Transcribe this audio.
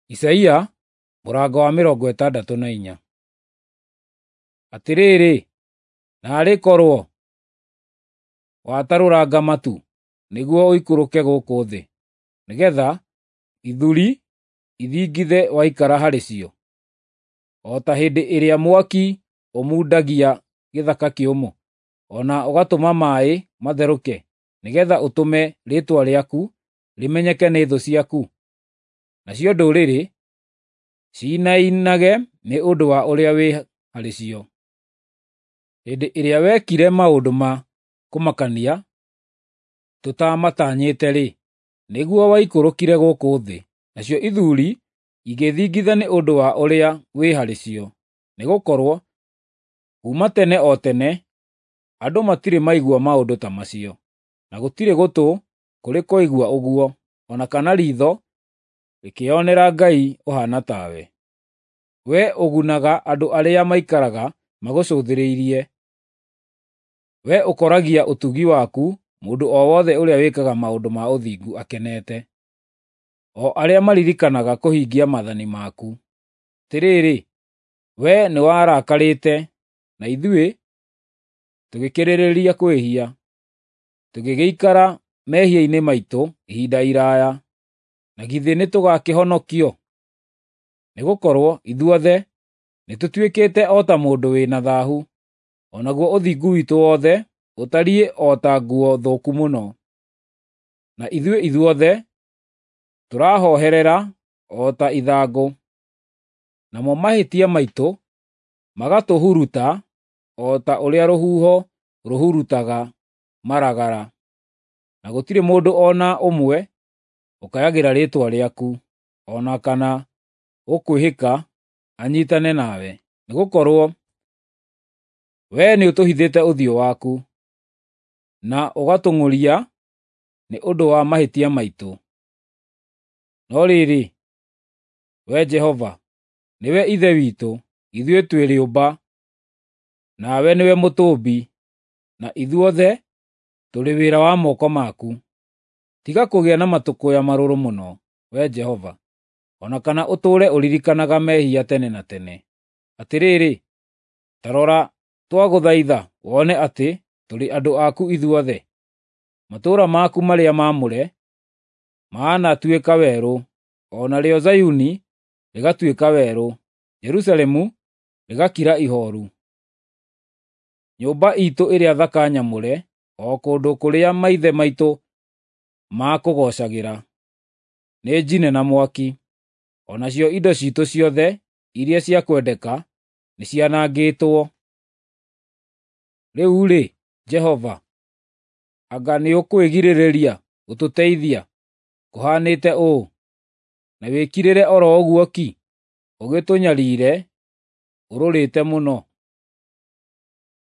Isaia mũrango wa 64. Atĩrĩrĩ, naarĩ korwo watarũranga matu nĩguo ũikũrũke gũkũ thĩ, nĩgeetha ithuri ithingithe waikara harĩ cio, o ta hĩndĩ ĩrĩa mwaki ũmundagia gĩthaka kĩũmũ, o na ũgatũma maaĩ matherũke, nĩgeetha ũtũme rĩĩtwa rĩaku rĩmenyeke nĩ thũ ciaku, nacio ndũrĩrĩ ciinainage nĩ ũndũ wa ũrĩa wĩ harĩ cio. Hĩndĩ ĩrĩa wekire maũndũ ma kũmakania tũtaamatanyĩte-rĩ, nĩguo waikũrũkire gũkũ thĩ, nacio ithuri igĩthingitha nĩ ũndũ wa ũrĩa wĩ harĩ cio. Nĩgũkorwo kuuma tene o tene andũ matirĩ maigua maũndũ ta macio, na gũtirĩ gũtũ kũrĩ kwaigua ũguo, o na kana riitho rĩkĩĩonera Ngai ũhaana tawe, wee ũgunaga andũ arĩa maikaraga magũcũthĩrĩirie, wee ũkoragia ũtugi waku mũndũ o wothe ũrĩa wĩkaga maũndũ ma ũthingu akenete, o arĩa maririkanaga kũhingia maathani maku. Atĩrĩrĩ, wee nĩwarakarĩte, na ithuĩ tũgĩkĩrĩrĩria kwĩhia, tũgĩgĩikara mehia-inĩ maitũ ihinda iraaya. Na githĩ nĩtũgakĩhonokio? Nĩgũkorwo ithuothe nĩtũtuĩkĩte o ta mũndũ wĩ na thaahu, o naguo ũthingu witũ wothe ũtariĩ o ta nguo thũku mũno. Na ithuĩ ithuothe tũrahooherera o ta ithangũ, namo mahĩtia maitũ magatũhuruta o ta ũrĩa rũhuho rũhurutaga maragara. Na gũtirĩ mũndũ o na ũmwe ũkayagĩra rĩĩtwa rĩaku, o na kana ũkwĩhĩka anyiitane nawe, nĩgũkorwo wee nĩũtũhithĩte ũthiũ waku, na ũgatũng'ũria nĩ ũndũ wa mahĩtia maitũ. No rĩrĩ, Wee Jehova, nĩwe Ithe witũ, ithuĩ twĩ rĩũmba, nawe nĩwe mũtũũmbi, na ithuothe tũrĩ wĩra wa moko maku. Tiga kũgĩa na matũkũya marũrũ mũno, Wee Jehova, o na kana ũtũũre ũririkanaga mehia tene na tene. Atĩrĩrĩ, ta rora twagũthaitha wone atĩ tũrĩ andũ aku ithuothe. Matũũra maku marĩa maamũre maanatuĩka werũ, o narĩo Zayuni rĩgatuĩka werũ, Jerusalemu rĩgakira ihooru. Nyũmba iitũ ĩrĩa thaka nyamũre, o kũndũ kũrĩa maithe maitũ maakũgoocagĩra, nĩ njine na mwaki, o nacio indo ciitũ ciothe iria cia kwendeka nĩcianangĩtwo. Rĩu-rĩ, Jehova, anga nĩũkwĩgirĩrĩria gũtũteithia kũhanĩte ũũ, na wĩkirĩre o ro ũguo ki, ũgĩtũnyariire ũrũrĩte mũno?